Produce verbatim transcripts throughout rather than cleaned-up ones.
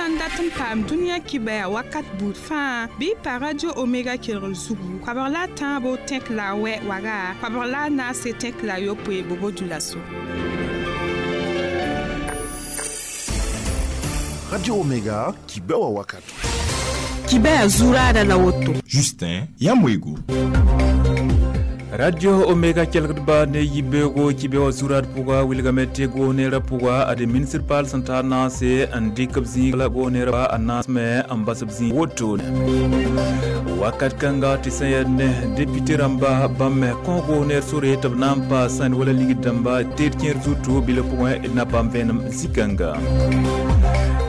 sã n dat n paam dũniyã kibɛa wakat buud fãa bɩ pa Radio Omega kelgr zugu koabg la a tãabo tẽk la a wɛ waga koabg la a naase tẽk la a yopoe bobo dulaso. Radio Omega kibɛwa wakat. Kibɛa zuraada la woto. Justin Yamwego. Radio Omega kelgdba ne yibeogo kibewa zurad pʋga wilgame tɩ goos-neerã pʋga ad ministr paal sẽn tar naase n dɩk b zĩig la goos-neerã a naasme n bas b zĩig woto wakat kãnga tɩ sẽn yaa ne député rãmba bãmb me kõ goos-neer sore tɩ b na n pa sãn wala ligd dãmba teed kẽer zutu bɩ la pʋgẽ d na paam vẽenem zĩ-kãnga.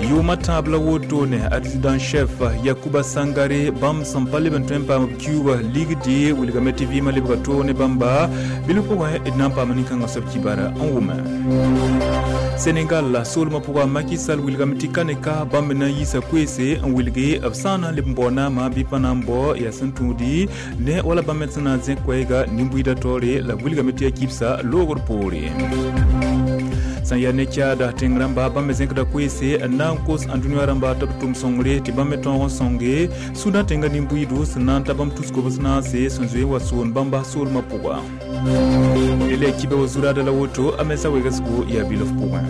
Yʋʋmã tãab la wotone adjudant chef Yakuba Sangare bãmb sẽn pa leb n tõe n paam b kiuuga ligdi wilgame tɩ vɩɩmã lebga toog ne bãmba bɩ pʋgẽ d na n paam nin-kãngã soab kibara n wʋme. Senegal soolmã pʋga Macky Sall wilgame tɩ ka ne ka bãmb na n yiisa koeese n wilge b sã n na n leb n bao naamã bɩ pa na n bao yaa sẽn tũudi ne wala bãmb me sẽn na n zẽk koɛɛga nin-buiidã taoore la b wilgame tɩ yaa kibsa loogr poore. Sẽn yaa ne caada tẽng rãmba bãmb me zẽkda koeese n na n kos ãndũniyã rãmba tɩ b tʋm sõngre tɩ bãmb me tõog n sõnge Sũdã tẽngã nin-buiidu sẽn na n ta bãmb tus-kobs naase sẽn zoe n wa soon bãmba soolmã pʋga. Le kibe wa zuraada la woto a mensa wegsgo yaa bilf pʋgẽ.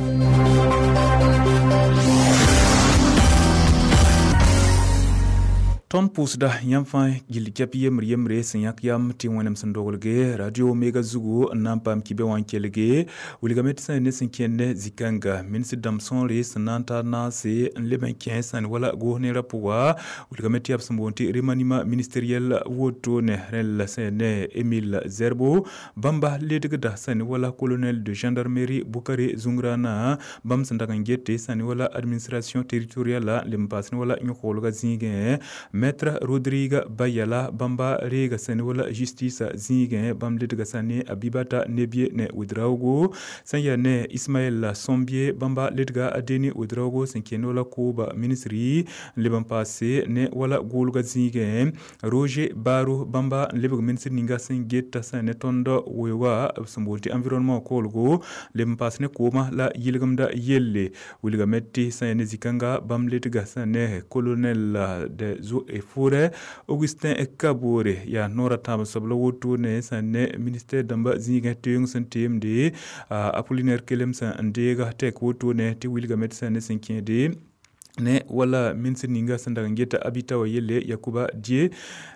Tõnd pʋʋsda yãmb fãa gill kɛp yembre yembre sẽn yãk yam tɩ wẽnem sẽn doglge Radio Omega zugu n na n paam kibɛ wã n kelge wilgame tɩ sẽn ne sẽn kẽnd zĩ-kãnga ministr dãmb sõore sẽn na n tar naase n leb n kẽ sãn wala goos-neerã pʋga wilgame tɩ yaa b sẽn boond tɩ remaniement ministériel wotone rẽl sẽn ne Emile Zerbo bãmba ledgda sẽn wala colonel de gendarmerie Bukare Zungrana bãmb sẽn dag n gete sẽn wala administration territoriale leb n paas ne wala yõk-hoolga zĩigẽ. Maître Rodrigue Bayala bãmba reega sẽn wala justice zĩigẽ bãmb ledga sã ne Abibata Nebie ne Ouedraogo sẽn yaa ne Ismaël Sombie bãmba ledga Adeni Ouedraogo sẽn kẽnd wala kooba ministri n leb n paase ne wala goolga zĩigẽ Roger Baro bãmba n lebg ministr ninga sẽn geta sẽn ne tõnd weooga b sẽn boond tɩ environnement koolgo leb n paas ne koomã la yɩlgemda yelle wilgame tɩ sẽn yaa ne zĩ-kãnga bãmb ledga sẽn ne colonel de zo et forêt Augustin Kabore yaa noora tãab soab la wotone sẽn ne ministère dãmba zĩigẽ teoong sẽn teemde Apollinaire Kelem sẽn n deega tɛk wotone tɩ wilgame tɩ sẽn ne sẽn kẽede ne wala ministre ninga sẽn dag n geta abita wa yelle Yakuba Die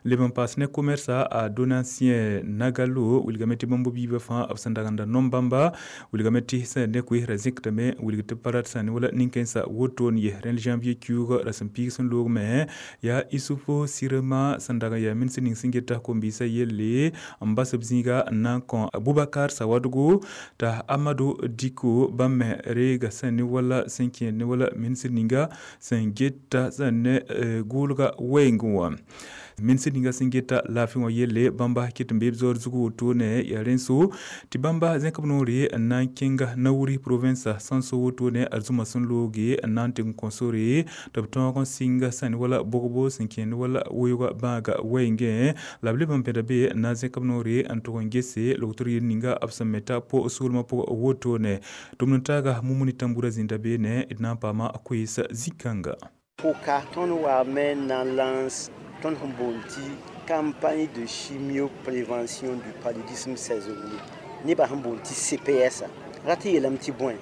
leb n paas ne commerce a Donatien Nagalo wilgame tɩ bãmb biibã fãa b sẽn dag n da nom bãmba wilgame tɩ sẽn ne koeesrã zẽktame wilg tɩ pa rat sã ne wala nin-kãensã woton ye rẽnd janvier kiuug ra sẽn piig sẽn loog me yaa Issoufou Sirema sẽn dag n yaa ministre ning sẽn geta kom-biisã yelle n bas b zĩiga n na n kõ Abubakar Sawadogo t'a Amadou Diko bãmb me reega sẽn ne wala sẽn kẽed ne wala ministre ninga sẽn geta sẽn ne goolga wɛɛngẽ wã. Ministr ninga sẽn geta laafɩ wã yelle bãmba ket n bee b zaoor zug wotone yaa rẽn-so tɩ bãmba zẽk b noore n na n kẽnga Nawuri province sãn-so wotone arzũma sẽn looge n na n tɩ n kõ sore tɩ b tõog n sɩnga sãn wala bogbo sẽn kẽnd wala weooga bãaga wɛɛngẽ la b leb n pẽda be n na n zẽk b noore n tʋg n gese logtr yel ninga b sẽn me ta po soolmã pʋgã wotone tʋmd n taaga Mumuni Tambura zĩnda beene d na n paama koees zĩ-kãnga. Pʋka tõnd waame n na n lance tõnd sẽn boond tɩ campagne de chimioprévention du paludisme saisonnier nebã sẽn boond tɩ C P S ra tɩ yeelame tɩ bõe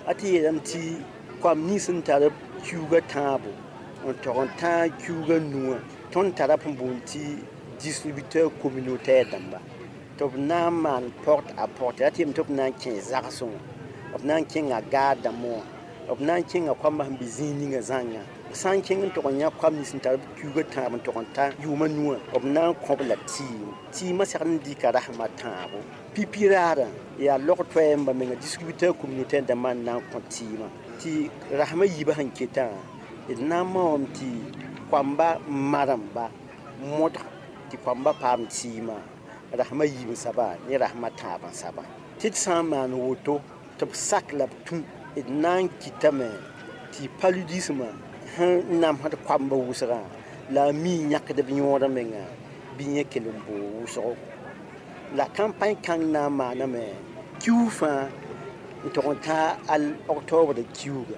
a tɩ yeelame tɩ koam nins sẽn tar kiuugã tãabo n tog n tãag kiuugã nuwã tõnd tara sẽn boond tɩ distributeur communautaire dãmba tɩ b na n maan porte à porte ra tɩ yeelame tɩ b na n kẽ zagsẽ wã b na n kẽnga gaar dãmbẽ wã b na n kẽnga koambã sẽn be zĩig ninga zãnga sã n kẽng n tog n yã koam nins sẽn tar kiuugã tãab n tog n ta yʋʋmã nuwã b na n kõ-b la tɩɩm tɩɩmã segd n dɩka rasmã tãabo pipi raarã yaa log-toɛɛmba menga distributeur communautaire dãmbã n na n kõ tɩɩmã tɩ rasmã yiibã sẽn ketã d na n maoom tɩ koamba maremba modg tɩ koamba paam tɩɩmã rasmã yiib n saba ne rasmã tãab n saba tɩ d sã n maan woto tɩ b sak la b tũ d na n kɩtame tɩ paludismã sẽn namsd koamba wʋsgã la a mi yãkd b yõod menga bɩ yẽ kell n boog wʋsgo la campagne kãng na n maaname kiuug fãa n tog n tã al octobre kiuuga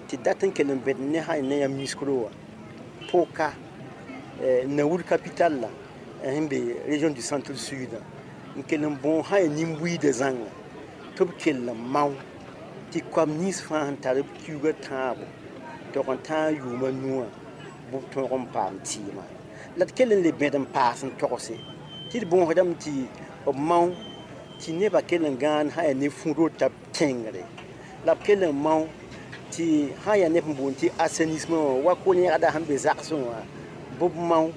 tɩ Tɩ dat n kell n bẽd ne sã ne yãmb miskro wã poka Naour capital la sẽn be région du centre sud n kell n bõo sã ya nin-buiidã zãnga tɩ b kell n mao tɩ koam nins fãa sẽn tar b kiuugã tãabo tog n tãag yʋʋma nuwã bɩ b tõog n paam tɩɩmã la d kell n le bẽd n paas n togse tɩ d bõosdame tɩ b mao tɩ nebã kell n gãan sã yaa ne fũudor t'a tẽngre la b kell n mao tɩ sã yaa neb sẽn boond tɩ assainissement wã wa ko-yẽgda sẽn be zagsẽ wã bɩ b mao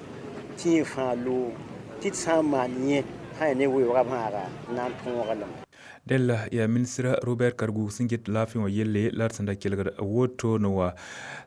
tɩ yẽ fãa loog tɩ d sã n maan yẽ sã yaa ne weoogã bãaga na n tõoga lame. Della yaa ministra Robert Kargu sẽn get laafɩ wã yelle la d sẽn da kelgd wotone wã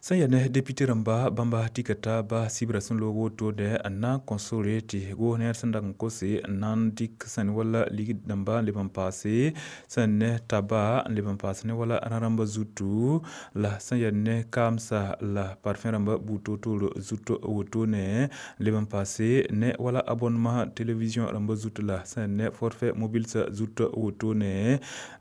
sẽn yaa ne député rãmba bãmba tika taaba sibra sẽn loog wotone n na n kõ sore tɩ goosnɛɛr sẽn dag n kose n na n dɩk sẽn wala ligd dãmba n leb n paase sẽn ne taba n leb n paas ne wala rã-rãmba zutu la sẽn yaa ne kaamsa la parfum rãmba buud toor-toor zut wotone n leb n paase ne wala abonnement télévision rãmba zut la sẽn ne forfait mobile sa zut wotone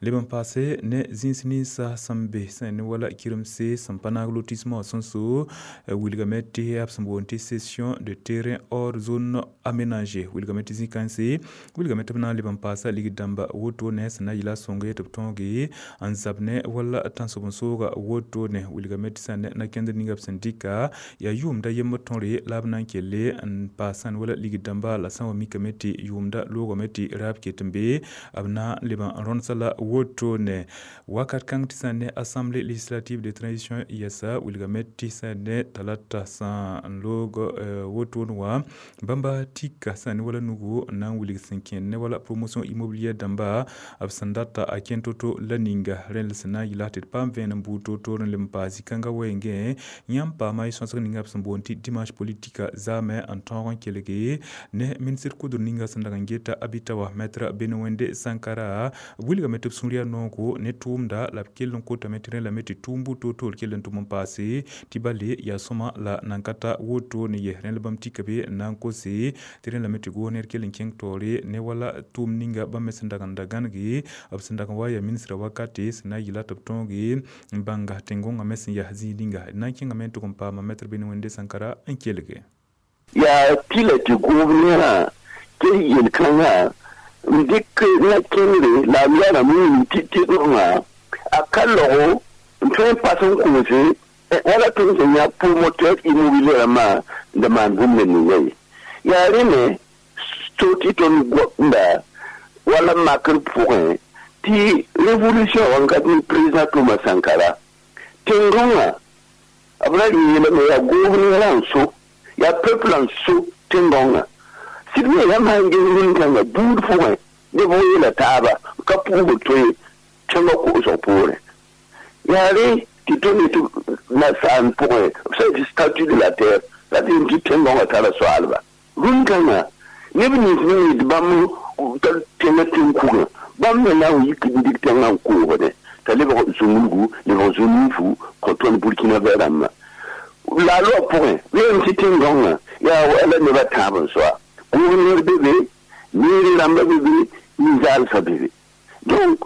leb n paase ne zĩns ninsã sẽn be sẽn ne wala kiremse sẽn pa naag lotissement sẽn so wilgame tɩ b sẽn boond tɩ cession de terrain hors zone aménagée wilgame tɩ zĩ-kãense wilgame tɩ b na n leb n paasa ligd dãmba wotone sẽn na n yɩla sõnge tɩ b tõoge n zab ne wala tãnsoben-sooga wotone wilgame tɩ sẽn ne na-kẽndr ninga b sẽn dɩka yaa yʋʋmda yembr tõre la b na n kelle n paas sẽn wala ligd dãmba la sã n wa mikame tɩ yʋʋmda loogame tɩ raab ket n be b na n leb n rõndsa la wotone wakat kãng tɩ sẽn ne assemblée législative de transition yɛsa wilgame tɩ sẽn ne talata sã n loog wotone wã bãmba tika sẽn ne wala nugu n na n wilg sẽn kẽnd ne wala promotion immobilière dãmba b sẽn data a kẽnd to-to la ninga rẽnd sẽn na n yɩla tɩ d paam vẽenem buud toor-toor n leb n paas zĩ-kãngã wɛɛngẽ yãmb paama y sõsg ninga b sẽn boond tɩ dimanche politique zaame n tõog n kelge ne ministre kʋdr ninga sẽn dag n geta abita wã maître Benewende Sankara wilgame tɩ b sũur yaa noogo ne tʋʋmda la b kell n kotame tɩ rẽ lame tɩ tʋʋm buud toor-toor kell n tʋm n paase tɩ bale yaa sõma la nan ka ta wotone ye rẽ la bãmb tika be n na n kose tɩ rẽ lame tɩ goos ned kell n kẽng taoore ne wala tʋʋm ninga bãmb me sẽn dag n da gãnege b sẽn dag n wa yaa ministra wakate sẽn na n yɩla tɩ b tõoge n bãnga tẽn-gõngã me sẽn yaa zĩig ninga d na n kẽngame n tʋg n paama maître Benewende Sankara n kelge. Yaa tɩla tɩ goobnera tɩ yel-kãngã n dɩk na-kẽngre la b yaarame wĩm tɩ tɩdgã a ka lago n tõe n pas n koose wala tõnd sẽn yã promoteur immobilier rãmbã n da maan bũmb ninga ye yaa rẽ me to tɩ tõnd goamda wala makr pʋgẽ tɩ révolution wãnkat ne président Thomas Sankara tẽn-gõngã b ra yeelame yaa goobnera n so yaa peuple n so tẽn-gõngã sɩd me yãmb sãn ges rũn-kãngã buud pʋgẽ neb yeela taaba ka pʋʋsg toe tẽngã koosg poorẽ yaa rẽ tɩ tõnd tɩ nasaam pʋgẽ b sã tɩ statut de la terre la tɩ tɩ tẽn-gõngã tara soaalba rũn-kãngã neb nins me yetɩ bãmb tar tẽngã tẽn-kugã bãmb me na n yik n dɩk tẽngã n koogdẽ t'a lebg zũmulgu lebg zũ-nuufu kõ tõnd Burkina Faso rãmbã la a loa pʋgẽ weem tɩ tẽn-gõngã yaa wala nebã tãab n soa gouverneur bebe mairie rãmba bebe ninzaalsã bebe donc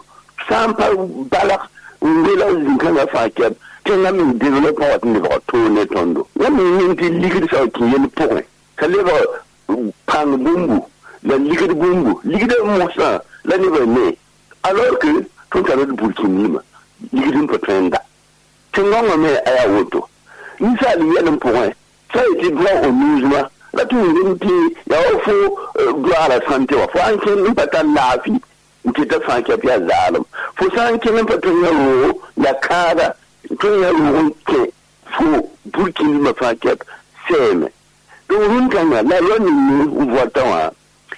sã n pa balg n wela zĩ-kãngã fãa kɛb tẽngã me développement wat n lebg toor ne tõndo yãmb yĩng tɩ ligd sã wa kẽ yell pʋgẽ t'a lebg pãng bũmbu la ligd bũmbu ligdã mosã la nebã ne alors que tõnd tara d burkinima ligd n pa tõe n da tẽn-gõngã me a yaa woto ninsaal yɛl n pʋgẽ sã yetɩ droit au logement la tɩ wingem tɩ yaa wa fo droit à la santé wã fo sãn kẽnd n pa tar laafɩ n tɩ t'a fãa kɛp yaa zaalem fo sã n kẽng n pa tõe n yã roogo la kãada tõe n yã roog n kẽ fo burkinima fãa kɛp sɛɛme donc rũn-kãngã la loi ning n voata wã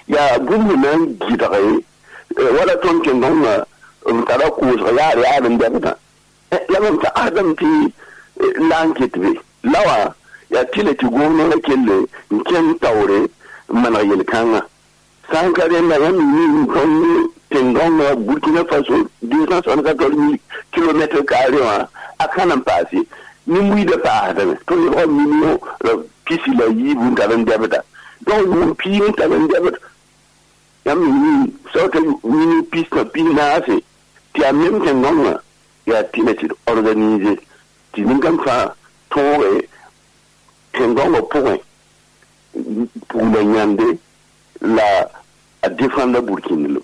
yaa bũmb na n gɩdge wala tõnd tẽn-gõngã b tara koosg yaar yaar n dɛbdã la mam tagsdame tɩ la n ket be la wã yaa tɩla tɩ goosnera kelle n kẽng taoore n maneg yel-kãngã sã n ka rẽnda yãmb ning tõnd tẽn-gõngã Burkina Faso deux cent soixante-quatorze mille kilomètres carrés wã a ka na n paase nin-buiidã paasdame tõnd lebga million pisi la yiib n tar n dɛbda donc yʋʋm piig n tar n dɛbd yãmb ning sã t'a million pis tã pis naase tɩ yaa mem tẽn-gõngã yaa tɩla tɩ d organiser Tɩ nin-kãng fãa tõoge tẽn-gãongã pʋgẽ pugla yãnde la a défendre burkĩndlem.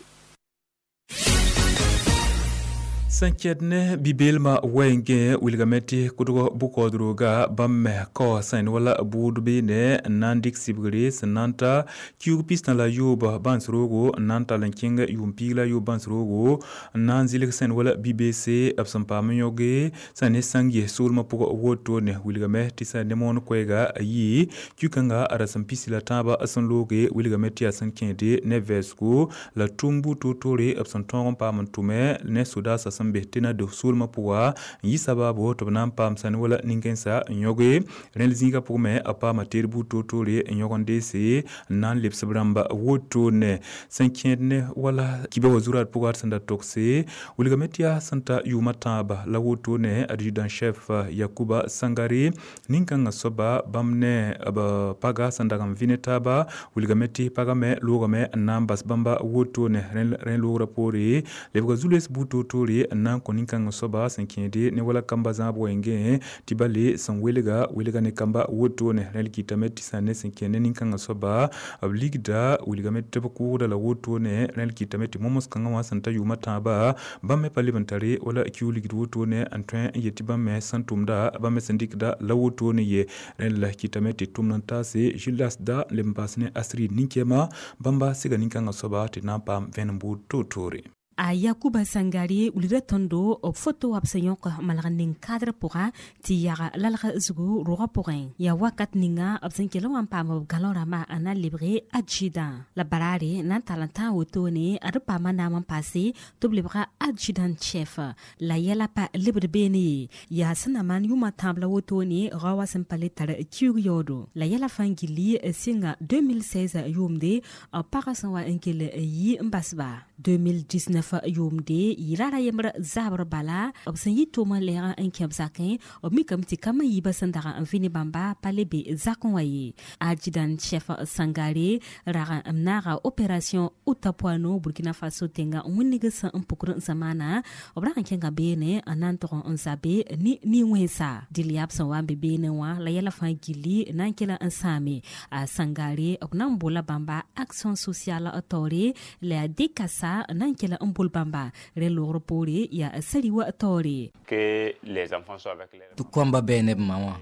Sẽn kɛd ne bi-beelmã wɛɛngẽ wilgame tɩ kʋdg bʋ-kaoodroga bãmb me kao sẽn wala bʋʋd beene n na n dɩk sɩbgre sẽn na n ta kiug pistã la yoob bãns roogo n na n tall n kẽng yʋʋm piig la yoob bãns roogo n na n zɩlg sẽn wala bi-beese b sẽn paam n yõge sẽn ne sãng ges soolmã pʋgã wotone wilgame tɩ sẽn ne moon koɛɛga a yi kiu-kãnga a rasem pisi la tãabã sẽn looge wilgame tɩ yaa sẽn kẽede ne vɛɛsgo la tʋm buud toor-toore b sẽn tõog n paam n tʋme ne sodaasã sẽn be tɩ na dos soolmã pʋga n yɩ sabaabo tɩ b na n paam sãn wala nin-kãensã n yõge rẽnd zĩigã pʋgẽ me a paama teed buud toor-toore n yõg n deese n na n lebs b rãmba wotone sẽn kẽed ne wala kiba wa zurad pʋga sẽn da togse wilgame tɩ yaa sẽn ta yʋʋmã tãaba la wotone adjudant chef Yakuba Sangare nin-kãngã soaba bãmb ne b paga sẽn dag n vɩ ne taaba wilgame tɩ pagã me loogame n na n bas bãmba wotone rẽ loogrã poore lebga zu-loees buud toor-toore n na n kõ nin-kãngã soaba sẽn kẽede ne wala kamba zãab wɛɛngẽ tɩ ba le sẽn welga welga ne kamba wotone rẽl kɩtame tɩ sã ne sẽn kẽ ne nin-kãngã soaba b ligda wilgame tɩ b kʋʋgda la wotone rẽl kɩtame tɩ momos kãngã wã sẽn ta yʋʋmã tãaba bãmb me pa leb n tare wala kiu ligd wotone n tõe n yet tɩ bãmb me sẽn tʋmda bãmb me sẽn dɩkda la wotone ye rẽnd la kɩtame tɩ tʋmd n taase Julas da n leb n paas ne Astrid nin-kɛɛma bãmba sɩga nin-kãngã soaba tɩ na n paam vẽenem buud toor-toore. A Yakuba Sangare wulda tõndo b foto wa b sẽn yõk malg n ning kadr pʋga tɩ yaga lalg zugu rogã pʋgẽ yaa wakat ninga b sẽn kell n wa n paam b galõ rãmbã n na n lebge adjudant la baraare na n tall n tãag wotone ad paama naam n paase tɩ b lebga adjudant chef la yɛla pa lebd beene ye yaa sẽn na maan yʋʋmã tãab la wotone rao wa sẽn pa le tar kiug yaoodo la yɛla fãa gilli sɩnga deux mille seize yʋʋmde b pagã sẽn wa n kell n yi n basba deux mille dix-neuf yʋʋmde yɩ rara yembr zabr bala b sẽn yɩ tʋʋm n lɛɛg n kẽ b zakẽ b mikame tɩ kambã yiibã sẽn dag n vɩ ne bãmba pa le be zakẽ wã ye adjudant chef Sangare rag n naaga opération Otapoano Burkina Faso tẽnga wĩnnig sẽn n pukr n sẽn maana b rag n kẽnga beene n na n tog n zabe ne nin-wẽnsa dɩl yaa b sẽn wa n be beene wã la yɛla fãa gilli na n kela n sãame a Sangare b na n bola bãmba action sociale taoore la yaa dekasa n na n kela n bol bãmba rẽ loogr poore yaa sari wa taoore. Que les enfants soient avec les tɩ koamba bɛɛ ne b ma wã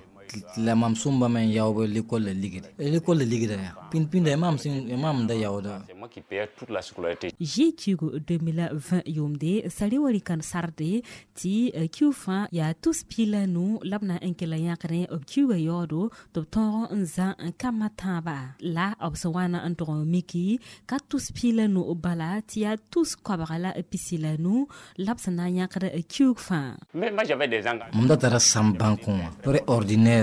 la mam sõmba me n yaoog l'école la ligd l'école la ligda yaa pĩnd-pĩnda maam sẽn maam da yaooda. C'est moi qui payais toute la scolarité. G Q deux mille vingt yʋʋmde sari wa rɩ sarde tɩ kiu fãa yaa tus piig la nu la b na n kell n yãkdẽ b kiuga yaoodo tɩ b tõog n zã n kambã tãaba la b sẽn wa na n tog n miki ka tus piig la nu bala tɩ yaa tus koabga la pisi la nu la b sẽn na n yãkd kiug fãa. Mais moi j'avais des engagements. Mam da tara sãm bãnkẽ wã prêt ordinaire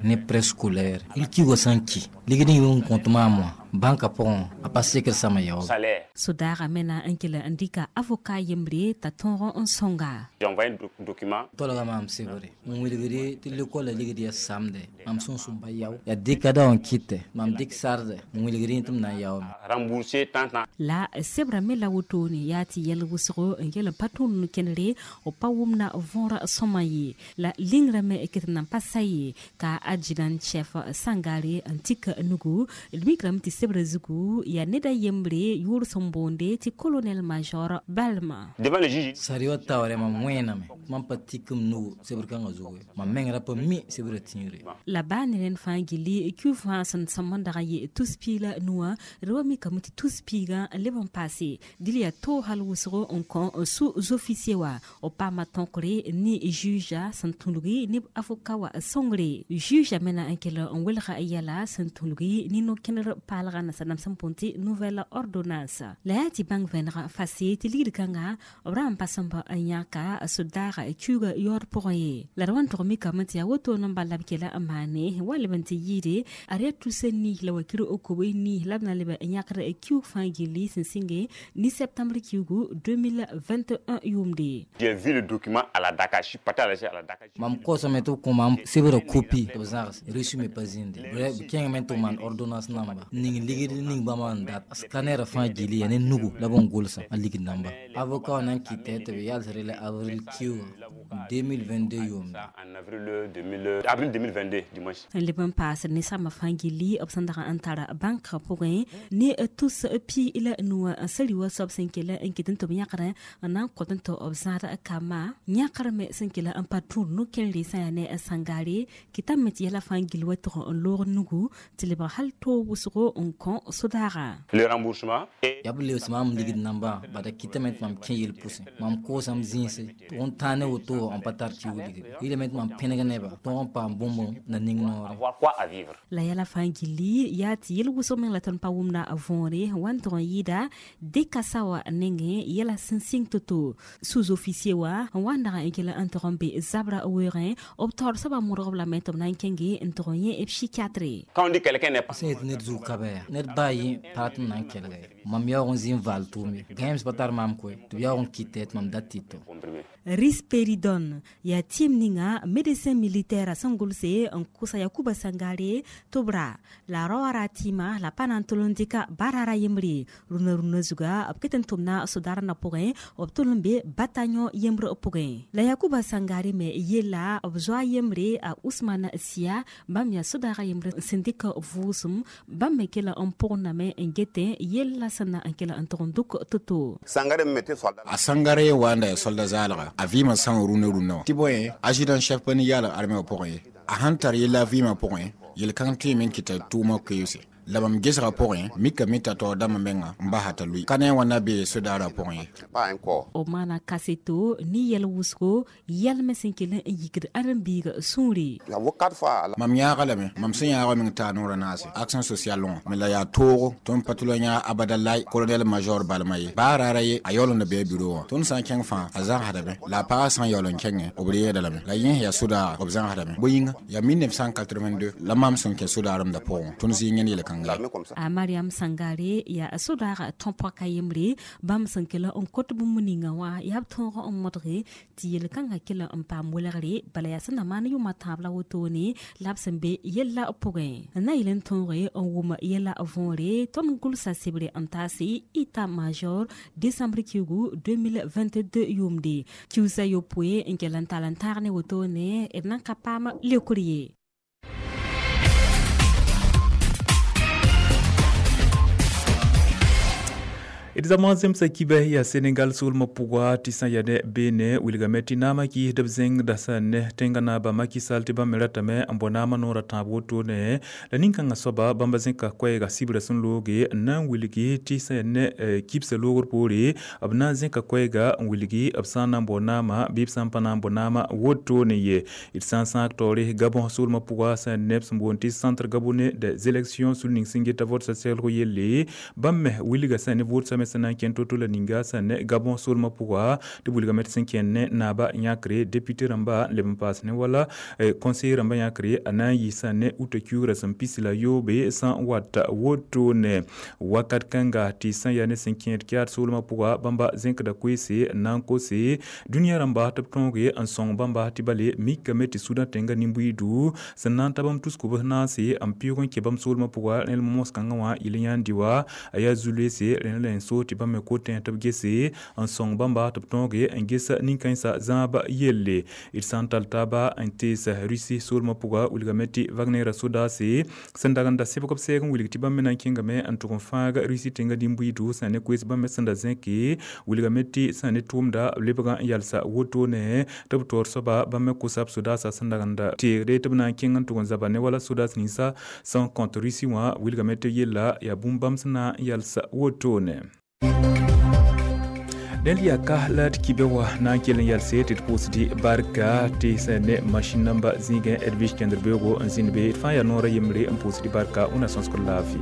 ne préscolaire l kiuga sã n ki ligd n yʋ n kõt maam wã bãnkã pʋgẽ a pa sekr sãma yaoog. Salaire. Sodaagã me na n kell n dɩka avocat yembre t'a tõog n sõnga. J'ai envoyé un doc- document. Tolga maam sebre n wilgde tɩ l'école la ligd yaa samde mam sẽn sũm pa yao yaa dɩkada wã n kɩtɛ mam dɩk sarde n wilgd tɩ m na n yaoome. Rembourser tant tant. La sebra me la wotone yaa tɩ yɛl wʋsgo n yel n pa tũud kẽnere b pa wʋmna võora sõma ye la lingrã me ket n nan pa sa ye ka adjudant chef Sangare n tik nugu d mikrame tɩ sebra zugu yaa ned a yembre yʋʋr sẽn boonde tɩ colonel major Balma. Devant le juge. Sari wa taoore mam wẽename mam pa tik m nugu sebr kãngã zugu ye mam meng ra pa mi sebra tĩigre. La baa ne rẽnd fãa gilli kiu fãa sẽn sõm n dag n yɩ tus piig la nuwã d wa mikame tɩ tus piigã n leb n paase dɩl yaa toog hal wʋsgo n kõ sous-officier wa b paama tõkre ne juge sẽn tũlgi ne avocat wa sõngre juge me na n kell n welga yɛla sẽn tũlgi ne no-kẽner paalgã nasaam sẽn põn tɩ nouvelle ordonnance la yaa tɩ bãng vẽneg fase tɩ ligd kãnga b ra n pa sõmb n yãka sodaagã kiuga yaood pʋgẽ ye la d wa n tog mikame tɩ yaa woto n bala b kela n maane wa leb n tɩ yɩɩde a yaa tusa nii la wakir o kobe nii la b na leb n yãkd kiug fãa gilli sẽn sɩnge ni septembre kiugu deux mille vingt et un yʋʋmde. J'ai vu le document à la Dakar. Je suis parti à la à la Dakar. Mam kosame tɩ b kõ mam sebra copie tɩ b zãgs reçu me pa zĩnde b kẽngame tɩ b maan ordonnance namba ning ligd ning bãmba n dat scanner fãa gilli yaa ne nugu la b n gʋlsã a ligd namba avocat wã na n kɩtɛ tɩ b yalsre la avril kiuga. deux mille vingt-deux yʋʋmda. En avril deux mille, avril deux mille vingt-deux dimanche. Leb n paas ne sãmbã fãa gilli b sẽn dag n tara bãnkã pʋgẽ ne tus pi la nuwã sã wa soab sẽn kell n ket n tɩ b yãkdã n na n kõt n tɩ b zãad kambã yãkr me sẽn kell n pa tũud no-kẽnre sã yaa ne sãngaare kɩtame tɩ yɛla fãa gill wa tʋg n loog nugu tɩ lebg hal toog wʋsgo n kõ sodaaga. Le remboursement et yaa b lebs maam ligd nambã bala kɩtame tɩ mam kẽ yel pʋsẽ mam koosame zĩise tɩ n tãag ne woto n pa tar tɩ wilgre yɩlame tɩ mam pẽneg nebã tõog n paam bũmb na ning noore. Avoir quoi à vivre. La yɛla fãa gilli yaa tɩ yel wʋsg meng la tõnd pa wʋmda võore wa n tʋg n yɩɩda dekasa wa nengẽ yɛla sẽn sɩng to-to sous-officier wa n wa n dag n kell n tʋg n be zabra weoogẽ b taoor soabã modg b lame tɩ b na n kẽnge n tʋg n yẽ psychiatre. Quand on dit quelqu'un n'est pas sẽn yet ned zug ka bɛa ned baa yẽ pa rat n na n kelga ye mam yaoog n zĩ n vaal tʋʋm ye gãeems pa tar maam koe tɩ b yaoog n kɩtɛ tɩ mam dat tɩtɔ. Risperidone yaa tɩɩm ninga médecin militaire sẽn gʋlse n kʋsa Yakuba Sangare tɩ b ra la rao wã ra tɩɩma la pa na n tol n dɩka barara yembre rũnã rũnã zuga b ket n tʋmna sodarã pʋgẽ b tol n be bataillon yembre pʋgẽ la Yakuba Sangare me yella b zoa yembre a Ousmane Sia bãmb yaa sodaagã yembre sẽn dɩk vʋʋsem bãmb me kela n pʋgendame n getẽ yella sẽn na n kela n tʋg n dʋk to-to. A Sangare wa n da ya solda zaalga a vɩɩmã sã n rũnã rũnã wã tɩ bõe adjudant chef pa ne yaal armẽ wã pʋgẽ ye a sãn tar yella vɩɩmã pʋgẽ yel-kãng tõeme n kɩta tʋʋmã koeese la mam gesgã pʋgẽ mikame t'a taoor dãmbã menga n basa t'a lʋɩ ka ne wã na bee sodaarã pʋgẽ ye. B maana kaseto ne yɛl wʋsgo yɛlmẽ sẽn kell n yikd ãdem-biigã sũure. Mam yãaga lame mam sẽn yãaga meng taa noorã naase action sociale wã me la yaa toogo tõnd pa tʋ la yãag abadalai colonel major balma ye baa raara ye a yaool n da bee bureau wã tõnd sã n kẽng fãa a zãgsdame la a pagã sã n yaool n kẽngẽ b reegda lame la yẽ yaa sodaaga b zãgsdame bõe yĩnga yaa mille neuf cent quatre-vingt-deux la mam sẽn kẽ sodaaremdã pʋgẽ tõnd zɩ yẽnd yel-kãnga. A Mariam Sangare yaa sodaaga tõpaka yembre bãmb sẽn kell n kot bũmb ninga wã yaa b tõog n modge tɩ yel-kãngã kell n paam welgre bala yaa sẽn na maan yʋʋmã tãab la wotone la b sẽn be yella pʋgẽ n na yel n tõoge n wʋm yɛla võore tõnd gʋlsa sebre n taase état major décembre kiugu deux mille vingt-deux yʋʋmde kiusa yopoe n kell n tall n taag ne wotone d nan ka paam leokr ye. D zama zemsa kibɛ yaa Senegal soolmã pʋga tɩ sã yaa ne beene wilgame tɩ naamã kɩɩsd b zẽngda sã ne tẽngã naaba Macky Sall tɩ bãmb me ratame n bao naamã noorã tãab wotone la nin-kãngã soaba bãmba zẽka koɛɛga sɩbrã sẽn looge n na n wilgi tɩ sã yaa ne kibsã loogr poore b na n zẽka koɛɛga n wilgi b sã n na n bao naamã bɩ b sã n pa na n bao naamã wotone ye. D sã n sãag taoore Gabon soolmã pʋga sã yaa ne b sẽn boond tɩ centre gabonais des élections sul ning sẽn geta votsa seglg yelle bãmb me wilga sã ne votsa me sẽn na n kẽnd to-to la ninga sã ne Gabon soolmã pʋga tɩ wilgame tɩ sẽn kẽnd ne naaba yãkre député rãmba n leb n paas ne wala conseiller rãmba yãkre a na n yɩ sã ne uta kiugrã sẽn pis la yoobe sã n wata wotone wakat kãnga tɩ sã yaa ne sẽn kẽed Tchad soolmã pʋga bãmba zẽkda koeese n na n kose dũniyã rãmba tɩ b tõoge n sõng bãmba tɩ bale mikame tɩ Sudan tẽngã nin-buiidu sẽn na n ta bãmb tus-kobs naase n pɩʋg n kẽ bãmb soolmã pʋga rẽl mos kãngã wã yel yãnd wa a yaa zu-loeese rẽnd la n so tɩ bãmb me kotẽ tɩ b gese n sõng bãmba tɩ b tõoge n ges nin-kãensã zãab yelle. D sã n tall taaba n tees Russie soolmã pʋga wilgame tɩ Wagner sodaase sẽn dag n da sɩbg b sɛɛg n wilg tɩ bãmb me na n kẽngame n tʋg n fãag Russie tẽngã nin-buiidu sã ne koees bãmb me sẽn da zẽke wilgame tɩ sã ne tʋʋmda b lebgã n yalsa wotone tɩ b taoor soaba bãmb me kosa b sodaasã sẽn dag n da teegde tɩ b na n kẽng n tʋg n zaba ne wala sodaas ninsã sẽn kõt Russie wã wilgame tɩ yella yaa bũmb bãmb sẽn na n yalsa wotone. Dẽnd yaa ka la d kibɛ wã na n kell n yalse tɩ d pʋʋsdɩ barka tɩ sẽn ne masĩn namba zĩigẽ Edwige kẽndr-beoogo n zĩnd be d fãa yaa noorã yembre n pʋʋsdɩ barka wẽnna sõsgr laafɩ.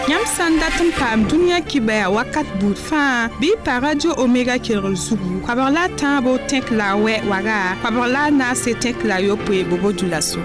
Yãmb sã n dat n paam dũniyã kibɛa wakat buud fãa bɩ pa Radio Omega kelgr zugu koabg la a tãabo tẽk la a wɛ waga koabg la a naase tẽk la a yopoe bobo dula-so.